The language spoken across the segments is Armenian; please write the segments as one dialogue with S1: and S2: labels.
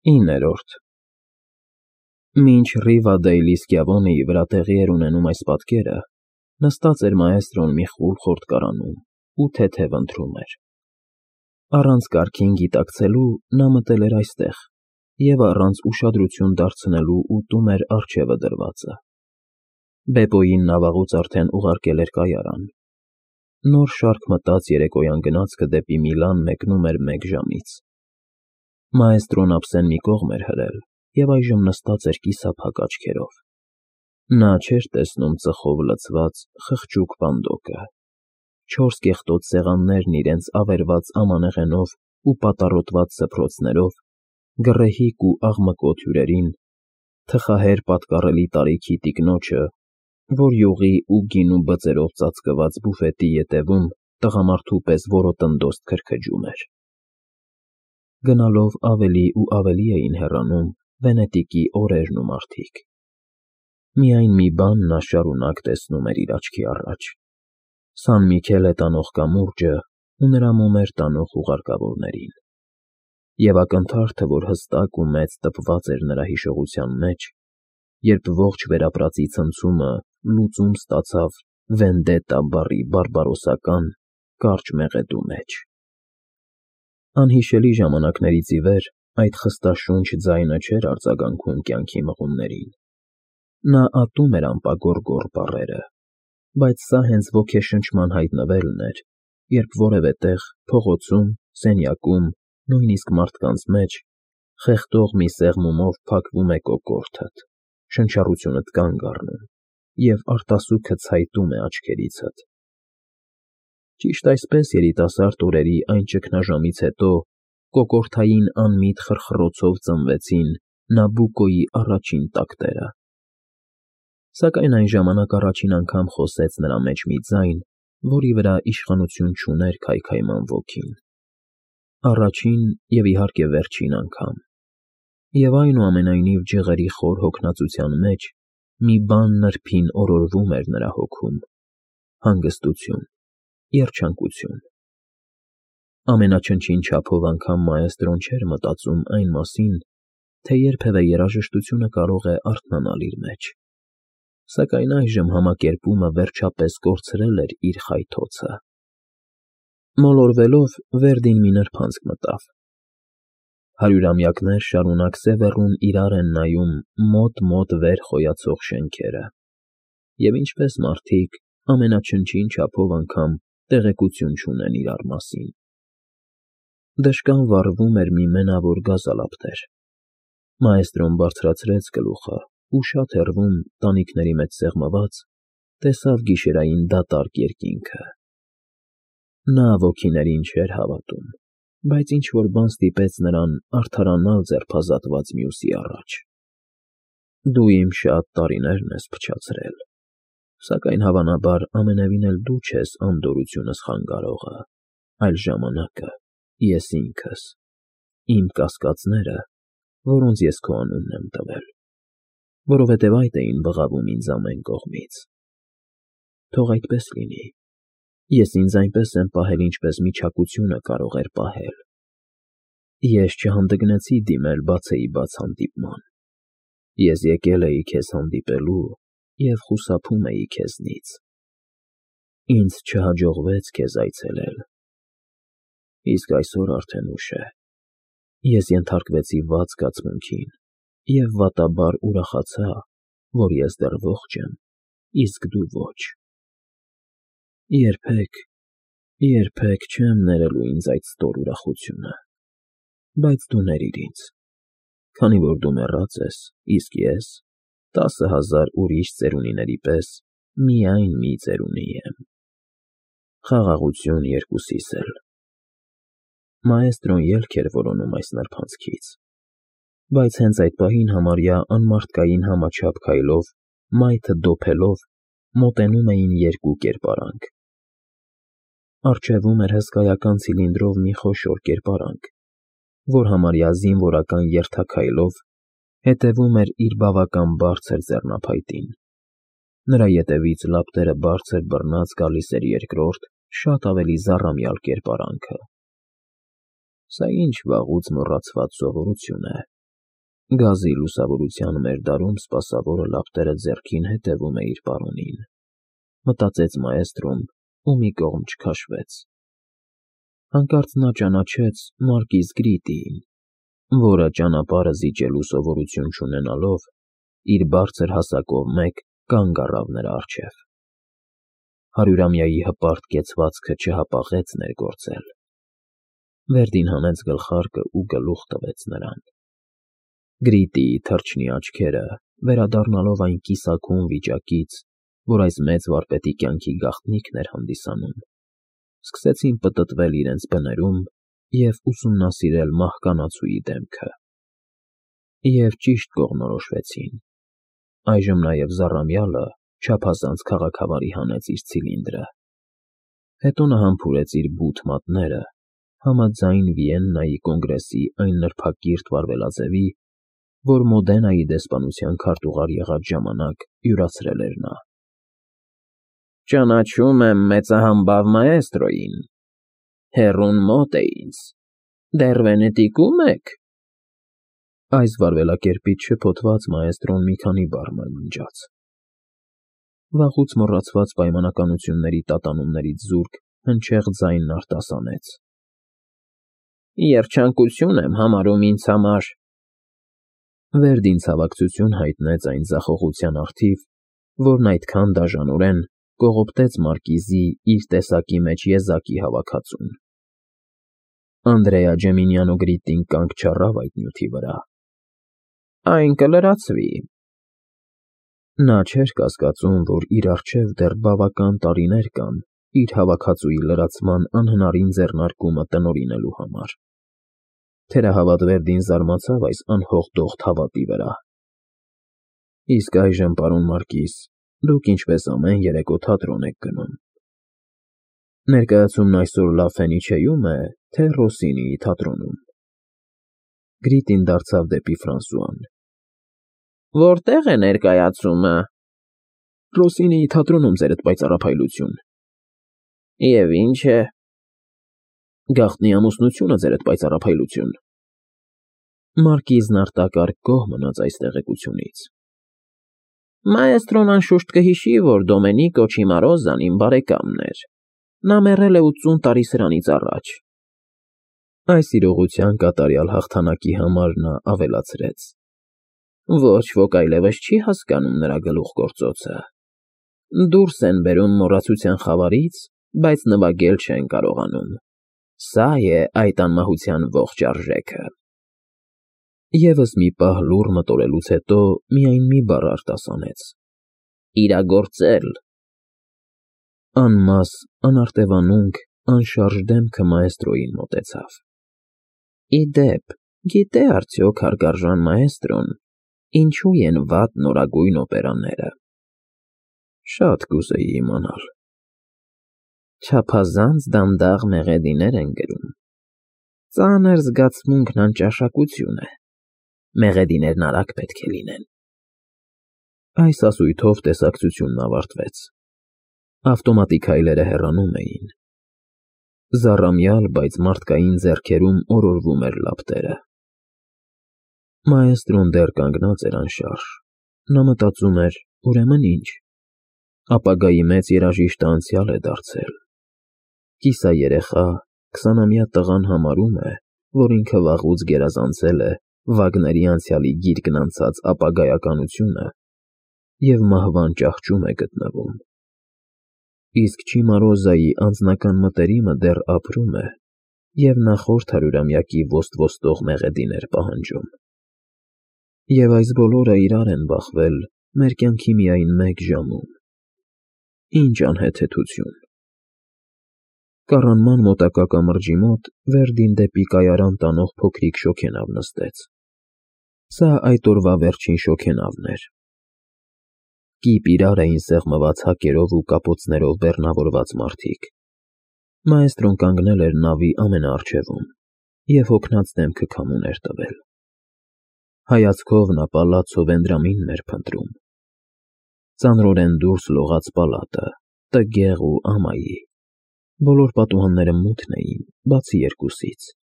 S1: 9-րդ Մինչ Ռիվադեյլի Սկյավոնիի վրա տեղի էր ունենում այս պատկերը, նստած էր մաեստրոն մի խուլ խորտկարանում ու թեթև ընթրում էր։ Առանց կարգին գիտակցելու նա մտել էր այստեղ և առանց ուշադրություն դարձնելու ուտում էր առջևը դրվածը։ Բեպոյին նա վաղուց արդեն ուղարկել էր կայարան։ Նոր շարք մտած երեկոյան գնացքը դեպի Միլան մեկնում էր 1 ժամից։ Մաեստրոն ափսեն մի կողմ էր հրել և այժմ նստած էր կիսափակ աչքերով։ Նա չէր տեսնում ծխով լցված խղճուկ պանդոկը, 4 կեղտոտ սեղաններն իրենց ավերված ամանեղենով ու պատառոտված սփռոցներով, գռեհիկ ու աղմկոտ հյուրերին, թխահեր պատկառելի տարիքի տիկնոջը, որ յուղի ու գինու բծերով ծածկված բուֆետի ետևում տղամարդու պես որոտնդոստ քրքջում էր։ Գնալով ավելի ու ավելի էին հեռանում Վենետիկի օրերն ու մարդիկ։ Միայն մի բան նա շարունակ տեսնում էր իր աչքի առաջ. Սան Միքելե տանող կամուրջը ու նրա մոմեր տանող ուղարկավորներին։ Եվ ակնթարթը, որ հստակ ու մեծ տպված էր նրա հիշողության մեջ, երբ ողջ վերապրածի ցնցումը լուծում ստացավ վենդետա բառի բարբարոսական, կարճ մեղեդու մեջ։ Անհիշելի ժամանակներից ի վեր այդ խստաշունչ ձայնը չէր արձագանքում կյանքի մղումներին։ Նա ատում էր անպագոր բառերը, բայց սա հենց ոգեշնչման հայտնվելն էր, երբ որևէ տեղ, փողոցում, սենյակում, նույնիսկ մարդկանց մեջ, խեղդող մի սեղմումով փակվում է կոկորդդ, շնչառությունդ կանգ առնում, և արտասուքը ցայտում է աչքերիցդ։ Ճիշտ այսպես երիտասարդ օրերի այն ճգնաժամից հետո կոկորդային անմիտ խրխռոցով ծնվեցին Նաբուկոյի առաջին տակտերը։ Սակայն այն ժամանակ առաջին անգամ խոսեց նրա մեջ մի ձայն, որի վրա իշխանություն չուներ քայքայման ոգին։ Առաջին և, իհարկե, վերջին անգամ։ Եվ այնուամենայնիվ ջղերի խոր հոգնածության մեջ մի բան նրբին օրորվում էր նրա հոգում՝ հանգստություն, երջանկություն։ Ամենաչնչին չափով անգամ մաեստրոն չէր մտածում այն մասին, թե երբևէ երաժշտությունը կարող է արթնանալ իր մեջ։ Սակայն այժմ համակերպումը վերջապես կորցրել էր իր խայթոցը։ Մոլորվելով՝ Վերդին մի նրբանցք մտավ։ Հարյուրամյակներ շարունակ սևեռուն իրար են նայում մոտ վեր խոյացող շենքերը, և ինչպես մարդիկ, ամենաչնչին չափով անգամ տեղեկություն չունեն իրար մասին։ Դժկան վառվում էր մի մենավոր գազալապտեր։ Մաեստրոն բարձրացրեց գլուխը ու շատ հեռվում, տանիքների մեջ սեղմված, տեսավ գիշերային դատարկ երկինքը։ Նա ոգիներին չէր հավատում, բայց ինչ֊որ բան ստիպեց նրան արդարանալ ձերբազատված մյուսի առաջ։ Դու իմ շատ տարիներն ես փչացրել, սակայն հավանաբար ամենևին էլ դու չես անդորությունս խանգարողը, այլ ժամանակը, ես ինքս, իմ կասկածները, որոնց ես քո անունն եմ տվել, որովհետև այդ էին բղավում ինձ ամեն կողմից։ Թող այդպես լինի։ Ես ինձ այնպես եմ պահել, ինչպես միչակությունը կարող էր պահել։ Ես չհանդգնեցի դիմել բացեի բաց հանդիպման։ Ես եկել էի քեզ հանդիպելու և խուսափում էի քեզնից։ Ինձ չհաջողվեց քեզ այցելել։ Իսկ այսօր արդեն ուշ է։ Ես ենթարկվեցի վատ զգացմունքին և վատաբար ուրախացա, որ ես դեռ ողջ եմ, իսկ դու ոչ։ Երբեք չեմ ներելու ինձ այդ ստոր ուրախությունը, բայց դու ներիր ինձ, քանի որ դու մեռած ես, իսկ ես, 10,000 ուրիշ ծերունիների պես, միայն մի ծերունի եմ։ Խաղաղություն երկուսիս էլ։ Մաեստրոն ելք էր որոնում այս նրբանցքից, բայց հենց այդ պահին համարյա անմարդկային համաչափ քայլով, մայթը դոփելով, մոտենում էին 2 կերպարանք։ Առջևում էր հսկայական ցիլինդրով մի խոշոր կերպարանք, որ համարյա զինվորական երթաքայլով հետևում էր իր բավական բարձր ձեռնափայտին։ Նրա ետևից լապտերը բարձր բռնած գալիս էր երկրորդ, շատ ավելի զառամյալ կերպարանքը։ Սա ինչ վաղուց մոռացված սովորություն է, Գազի լուսավորության մերդարում սպասավորը լապտերը ձեռքին հետևում է իր պարոնին, մտածեց մաեստրոն ու մի կողմ չքաշվեց։ Հանկարծ նա ճանաչեց Մարկիս Գրիտիին, որը ճանապարհը զիջելու սովորություն չունենալով, իր բարձր հասակով մեկ կանգ առավ նրա առջև։ Հարյուրամյայի հպարտ կեցվածքը չհապաղեց ներգործել։ Վերդին հանեց գլխարկը ու գլուխ տվեց նրան։ Գրիտիի թրջնի աչքերը, վերադառնալով այն կիսաքուն վիճակից, որ այս մեծ վարպետի կյանքի գաղտնիքն էր հանդիսանում, սկսեցին պտտվել իրենց բներում և ուսումնասիրել մահկանացուի դեմքը։ Եվ ճիշտ կողմնորոշվեցին։ Այժմ նաև Զառամյալը չափազանց քաղաքավարի հանեց իր ցիլինդրը։ Հետո նա համբուրեց իր բութ մատները, համաձայն Վիեննայի կոնգրեսի այն նրբակիրթ վարվելաձևի, որ Մոդենայի դեսպանության քարտուղար եղած ժամանակ յուրացրել էր նա։ Ճանաչում եմ մեծահամբավ մաեստրոյին, հեռուն մոտ է ինձ, դեռ Վենետիկու՞մ եք։ Այս վարվելակերպից շփոթված մաեստրոն մի քանի բառ մրմնջաց։ Վաղուց մոռացված պայմանականությունների տատանումներից զուրկ հնչեղ ձայնն արտասանեց. Երջանկություն եմ համարում ինձ համար։ Վերդին ցավակցություն հայտնեց այն ձախողության առթիվ, որն այդքան դաժանորեն կողոպտեց մարկիզի իր տեսակի մեջ եզակի հավաքածուն։ Անդրեա Ջեմինյանո Գրիտին կանգ չառավ այդ նյութի վրա։ Այն կլրացվի։ Նա չէր կասկածում, որ իր առջև դեռ բավական տարիներ կան իր հավաքածուի լրացման անհնարին ձեռնարկումը տնօրինելու համար։ Թերահավատ Վերդին զարմացավ այս անհողդողդ հավատի վրա։ Իսկ այժմ, պարոն Մարկիս, դուք ինչպես ամեն երեկո թատրոն եք գնում։ Ներկայացումն այսօր Լա Ֆենիչեյում է, թե Ռոսինիի թատրոնում։ Գրիտին դարձավ դեպի Ֆրանսուան։ Որտե՞ղ է ներկայացումը։ Ռոսինիի թատրոնում, ձերդ պայծառափայլություն։ Եվ ինչ է։ Գաղտնի ամուսնությունը, ձերդ պայծառափայլություն։ Մարկիզն արտակարգ գոհ մնաց այս տեղեկությունից։ Մաեստրոն անշուշտ կհիշի, որ Դոմենիկո Չիմարոզան իմ բարեկամն էր։ Նա մեռել է 80 տարի սրանից առաջ։ Այս իրողության կատարյալ հաղթանակի համար նա ավելացրեց. Ոչ ոք այլևս չի հասկանում նրա գլուխգործոցը։ Դուրս են բերում մոռացության խավարից, բայց նվագել չեն կարողանում։ Սա է այդ անմահության ողջ արժեքը։ Եվս մի պահ լուռ մտորելուց հետո միայն մի բառ արտասանեց. իրագործել։ Անմաս, անարտևանունք, անշարժ դեմքը մաեստրոյին մոտեցավ։ Իդեպ, գիտե արդյոք հարգարժան մաեստրոն, ինչու են վատ նորագույն օպերաները։ Շատ կուզեի իմանալ։ Չափազանց դանդաղ մեղեդիներ են գրում։ Ծանր զգացմունքն անճաշակություն է։ Մեղեդիներն արագ պետք է լինեն։ Այս ասույթով տեսակցությունն ավարտվեց։ Ավտոմատիկ հայլերը հեռանում էին։ Զառամյալ, բայց մարդկային ձեռքերում օրորվում էր լապտերը։ Մաեստրոն դեռ կանգնած էր անշարժ։ Նա մտածում էր, ուրեմն ինչ։ Ապագայի մեծ երաժիշտը անցյալ է դարձել։ Կիսայերեխա, 20-ամյա տղան համարում է, որ ինքը վաղուց գերազանցել է Վագների անցյալի գիրկն անցած ապագայականությունը և մահվան ճահճում է գտնվում։ Իսկ Չիմարոզայի անձնական մտերիմը դեռ ապրում է և նախորդ հարյուրամյակի ոստ-ոստող մեղեդիներ պահանջում։ Եվ այս բոլորը իրար են բախվել մեր կյանքի միայն մեկ ժամում։ Ինչ անհեթեթություն։ Կառանման մոտակա կամրջի մոտ Վերդին դեպի կայարան տանող փոքրիկ շոգենավ նստեց։ Սա այդ օրվա վերջին շոգենավն էր։ Կիպ իրար էին սեղմված հակերով ու կապոցներով բեռնավորված մարդիկ։ Մաեստրոն կանգնել էր նավի ամենաառջևում և հոգնած դեմքը քամուն էր տվել։ Հայացքով նա պալացո Վենդրամինն էր փնտրում։ Ծանրորեն դուրս լողաց պալատը, տգեղ ու ամայի։ Բոլոր պատուհանները մութն էին, բացի երկուսից։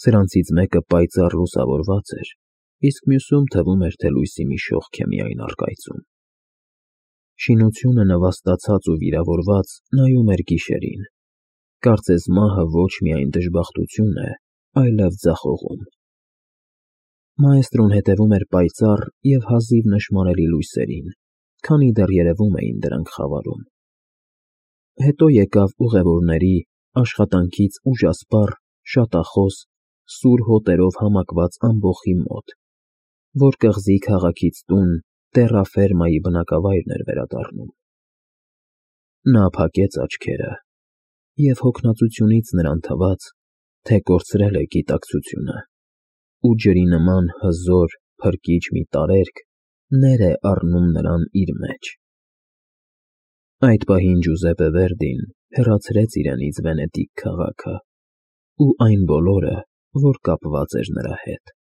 S1: Սրանցից մեկը պայծառ լուսավորված էր, իսկ մյուսում թվում էր, թե լույսի մի շողք է միայն առկայծում։ Շինությունը նվաստացած ու վիրավորված նայում էր գիշերին, կարծես մահը ոչ միայն դժբախտություն է, այլև ձախողում։ Մաեստրոն հետևում էր պայծառ և հազիվ նշմարելի լույսերին, քանի դեռ երևում էին դրանք խավարում։ Հետո եկավ ուղևորների, աշխատանքից ուժասպառ, շատախոս, սուր հոտերով համակված ամբոխի մոտ, որ կղզի քաղաքից տուն տեռա֊ֆերմայի բնակավայրն էր վերադառնում։ Նա փակեց աչքերը, և հոգնածությունից նրան թվաց, թե կորցրել է գիտակցությունը, ու ջրի նման հզոր, փրկիչ մի տարերկ ներ է առնում նրան իր մեջ։ Այդ պահին Ջուզեպպե Վերդին հեռացրեց իրենից Վենետիկ քաղաքը ու այն բոլորը, որ կապված էր նրա հետ։